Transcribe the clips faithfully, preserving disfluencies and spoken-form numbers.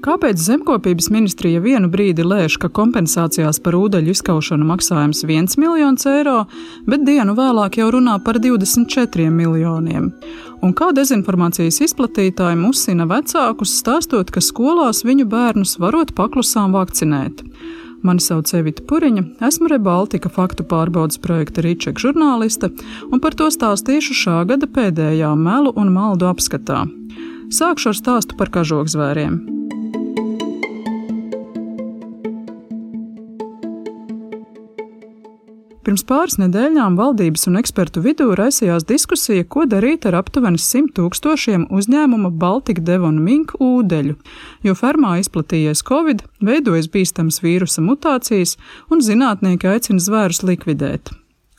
Kāpēc Zemkopības ministrija vienu brīdi lēš, ka kompensācijās par ūdeļu izkaušanu maksājums viens miljons eiro, bet dienu vēlāk jau runā par divdesmit četriem miljoniem? Un kā dezinformācijas izplatītāji musina vecākus, stāstot, ka skolās viņu bērnus varot paklusām vakcinēt? Mani sauc Evita Puriņa, esmu Rebaltika faktu pārbaudes projekta Rīčeka žurnāliste, un par to stāstīšu šā gada pēdējā melu un maldu apskatā. Sākšu ar stāstu par kažokzvēriem. Pirms pāris nedēļām valdības un ekspertu vidū raisījās diskusija, ko darīt ar aptuveni simt tūkstošiem uzņēmuma Baltika Devon Mink ūdeļu, jo fermā izplatījies Covid, veidojas bīstamas vīrusa mutācijas un zinātnieki aicina zvērus likvidēt.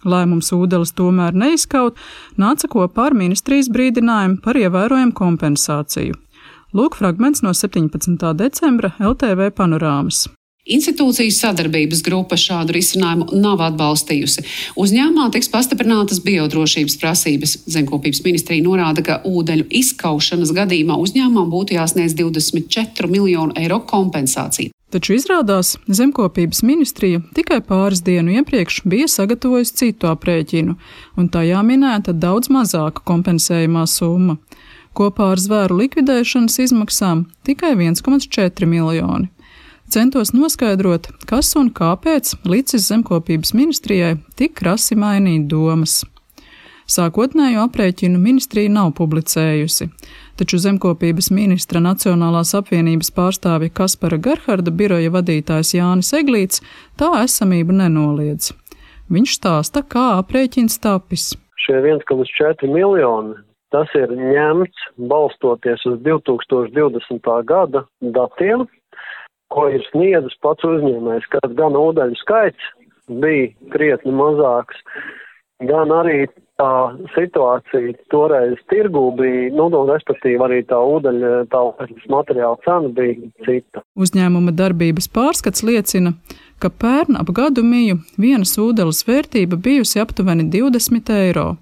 Lēmums ūdeles tomēr neizkaut, nāca kopā ar ministrijas brīdinājumu par ievērojumu kompensāciju. Lūk fragments no septiņpadsmitā decembra L T V panorāmas. Institūcijas sadarbības grupa šādu risinājumu nav atbalstījusi. Uzņēmumā tiks pastiprinātas biodrošības prasības. Zemkopības ministrija norāda, ka ūdeļu izkaušanas gadījumā uzņēmumam būtu jāsniedz divdesmit četru miljonu eiro kompensācija. Taču izrādās, Zemkopības ministrija tikai pāris dienu iepriekš bija sagatavojusi citu aprēķinu, un tajā minēta daudz mazāka kompensējumā summa. Kopā ar zvēru likvidēšanas izmaksām tikai viens komats četri miljoni. Centos noskaidrot, kas un kāpēc licis Zemkopības ministrijai tik krasi mainīt domas. Sākotnējo aprēķinu ministrija nav publicējusi, taču Zemkopības ministra Nacionālās apvienības pārstāvja Kaspara Gerharda biroja vadītājs Jānis Eglīts tā esamību nenoliedz. Viņš stāsta, kā aprēķins tapis. Šie viens komats četri miljoni, tas ir ņemts balstoties uz divi tūkstoši divdesmitā gada datiem, ko ir sniedzis pats uzņēmējs, kad gan ūdeļu skaits bija krietni mazāks, gan arī tā situācija toreiz tirgū bija, nu, respektīvi arī tā ūdeļa, tā ūdeļas materiāla cena bija cita. Uzņēmuma darbības pārskats liecina, ka pērn ap gadu miju vienas ūdeles vērtība bijusi aptuveni divdesmit eiro.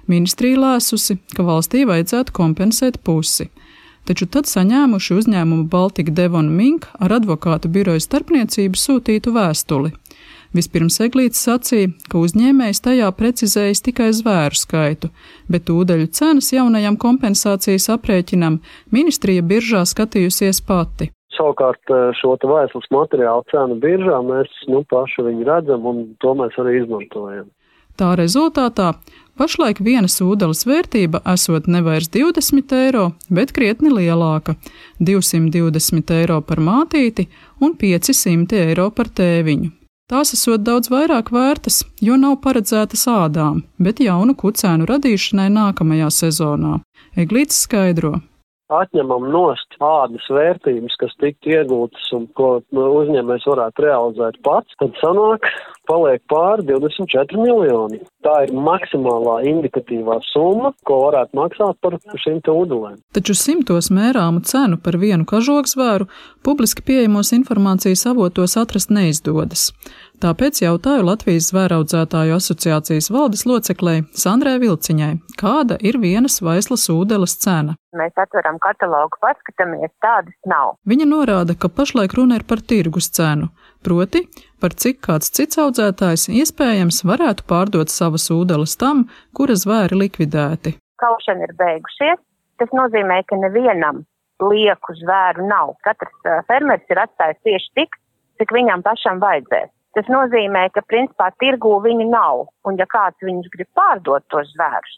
Ministrija lēsusi, ka valstī vajadzētu kompensēt pusi. Taču tad saņēmuši uzņēmumu Baltika Devon Mink ar advokātu biroju starpniecību sūtītu vēstuli. Vispirms Eglīts sacīja, ka uzņēmējs tajā precizējis tikai zvēru skaitu, bet ūdeļu cenas jaunajam kompensācijas aprēķinam ministrija biržā skatījusies pati. Savukārt šo te vēstules materiālu cenu biržā mēs nu, paši viņu redzam un to mēs arī izmantojam. Tā rezultātā pašlaik vienas ūdeles vērtība esot nevairs divdesmit eiro, bet krietni lielāka – divsimt divdesmit eiro par mātīti un pieci simti eiro par tēviņu. Tās esot daudz vairāk vērtas, jo nav paredzētas ādām, bet jaunu kucēnu radīšanai nākamajā sezonā. Eglīts skaidro. Atņemam nost ādas vērtības, kas tiktu iegūtas un ko uzņēmējs varētu realizēt pats, tad sanāk, paliek pāri divdesmit četri miljoni. Tā ir maksimālā indikatīvā summa, ko varētu maksāt par šīm te ūdelēm. Taču simtos mērāmu cenu par vienu kažokzvēru publiski pieejamos informācijas avotos atrast neizdodas. Tāpēc jautāju Latvijas zvēraudzētāju asociācijas valdes loceklei Sandrai Vilciņai, kāda ir vienas vaislas ūdeles cena. Mēs atveram katalogu, paskatāmies, tādas nav. Viņa norāda, ka pašlaik runa ir par tirgus cenu, proti, par cik kāds cits audzētājs iespējams varētu pārdot savas ūdeles tam, kura zvēri likvidēti. Kaušana ir beigušies, tas nozīmē, ka nevienam lieku zvēru nav. Katrs fermeris ir atstājis tieši tik, cik viņam pašam vajadzēs. Tas nozīmē, ka principā tirgū viņi nav, un ja kāds viņus grib pārdot tos zvērus,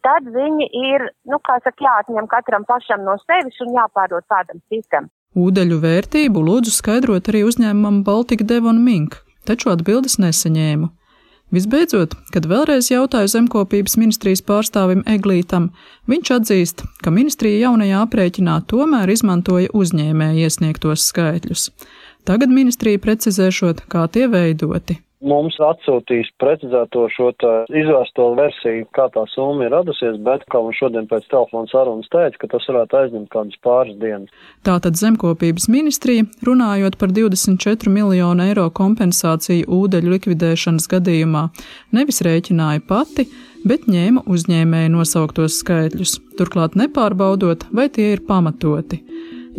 tad viņi ir, nu, kā saka, jāatņem katram pašam no sevis un jāpārdod kādam citam. Ūdeļu vērtību lūdzu skaidrot arī uzņēmumam Baltika Devon Mink, taču atbildes nesaņēmu. Visbeidzot, kad vēlreiz jautāju Zemkopības ministrijas pārstāvim Eglītam, viņš atzīst, ka ministrija jaunajā aprēķinā tomēr izmantoja uzņēmēja iesniegtos skaitļus. Tagad ministrija precizēšot, kā tie veidoti. Mums atsūtīs precizēto šo izvērsto versiju, kā tā summa ir radusies, bet, kā man šodien pēc telefona sarunas teica, ka tas varētu aizņemt kādas pāris dienas. Tātad Zemkopības ministrija, runājot par divdesmit četru miljonu eiro kompensāciju ūdeļu likvidēšanas gadījumā, nevis rēķināja pati, bet ņēma uzņēmēju nosauktos skaitļus, turklāt nepārbaudot, vai tie ir pamatoti.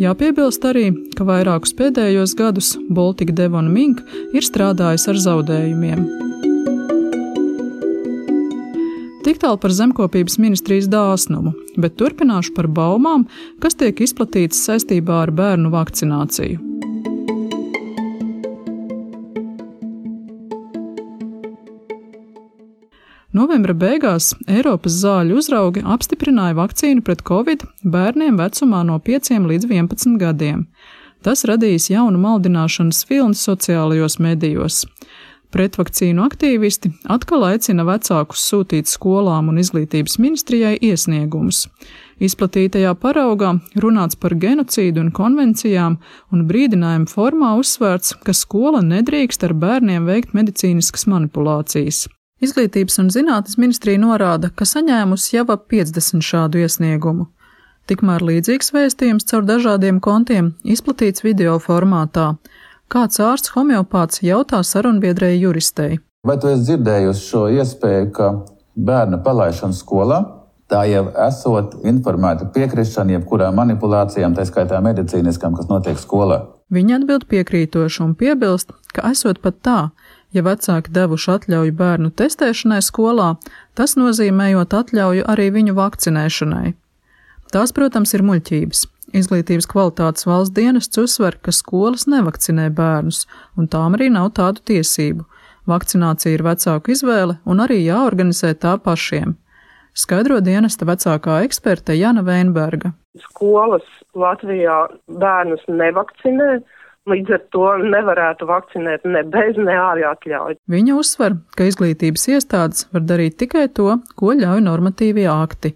Jāpiebilst arī, ka vairākus pēdējos gadus Baltic Devon Mink ir strādājis ar zaudējumiem. Tik tālu par Zemkopības ministrijas dāsnumu, bet turpināšu par baumām, kas tiek izplatītas saistībā ar bērnu vakcināciju. Novembra beigās Eiropas zāļu uzraugi apstiprināja vakcīnu pret covid bērniem vecumā no pieciem līdz vienpadsmit gadiem. Tas radījis jaunu maldināšanas vilni sociālajos medijos. Pretvakcīnu aktīvisti atkal aicina vecākus sūtīt skolām un izglītības ministrijai iesniegumus. Izplatītajā paraugā runāts par genocīdu un konvencijām, un brīdinājumu formā uzsvērts, ka skola nedrīkst ar bērniem veikt medicīniskas manipulācijas. Izglītības un zinātnes ministrija norāda, ka saņēmusi jau ap piecdesmit šādu iesniegumu. Tikmēr līdzīgs vēstījums caur dažādiem kontiem izplatīts video formātā. Kāds ārsts homeopāts jautā sarunbiedrēji juristei. Vai tu esi dzirdējusi šo iespēju, ka bērna palaišana skolā, tā jau esot informēta piekrišana jebkurām manipulācijām, tā skaitā medicīniskām, kas notiek skolā? Viņa atbild piekrītoši un piebilst, ka esot pat tā, ja vecāki devuši atļauju bērnu testēšanai skolā, tas nozīmējot atļauju arī viņu vakcinēšanai. Tās, protams, ir muļķības. Izglītības kvalitātes valsts dienests uzsver, ka skolas nevakcinē bērnus, un tām arī nav tādu tiesību. Vakcinācija ir vecāku izvēle un arī jāorganizē tā pašiem. Skaidro dienesta vecākā eksperte Jana Veinberga. Skolas Latvijā bērnus nevakcinē, līdz ar to nevarētu vakcinēt ne bez, ne ārā atļauju. Viņa uzsver, ka izglītības iestādes var darīt tikai to, ko ļauj normatīvie akti.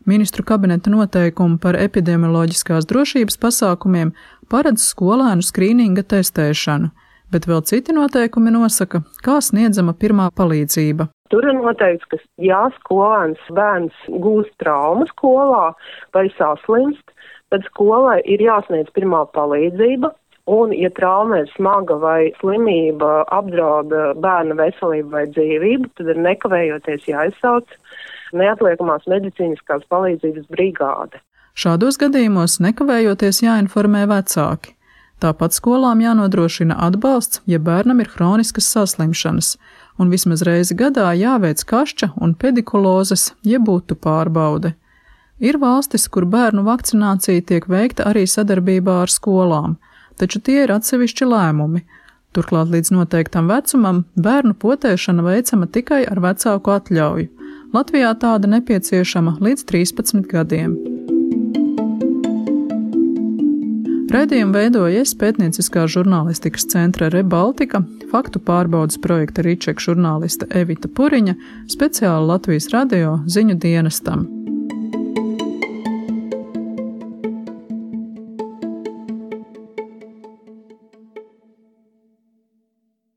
Ministru kabineta noteikumi par epidemioloģiskās drošības pasākumiem paredz skolēnu skrīninga testēšanu, bet vēl citi noteikumi nosaka, kā sniedzama pirmā palīdzība. Tur ir noteikts, ka ja skolēns bērns gūst traumu skolā vai saslimst, tad skolai ir jāsniedz pirmā palīdzība, un, ja trauma ir smaga vai slimība apdrauda bērna veselību vai dzīvību, tad ir nekavējoties jāizsauc neatliekamās medicīniskās palīdzības brigāde. Šādos gadījumos nekavējoties jāinformē vecāki. Tāpat skolām jānodrošina atbalsts, ja bērnam ir hroniskas saslimšanas, un vismaz reizi gadā jāveic kašķa un pedikulozes, jeb būtu pārbaude. Ir valstis, kur bērnu vakcinācija tiek veikta arī sadarbībā ar skolām, taču tie ir atsevišķi lēmumi. Turklāt līdz noteiktam vecumam bērnu potēšana veicama tikai ar vecāku atļauju. Latvijā tāda nepieciešama līdz trīspadsmit gadiem. Raidījumu veidoja es pētnieciskā žurnālistikas centra ReBaltica, faktu pārbaudas projekta Ričeka žurnāliste Evita Puriņa, speciāli Latvijas radio ziņu dienestam.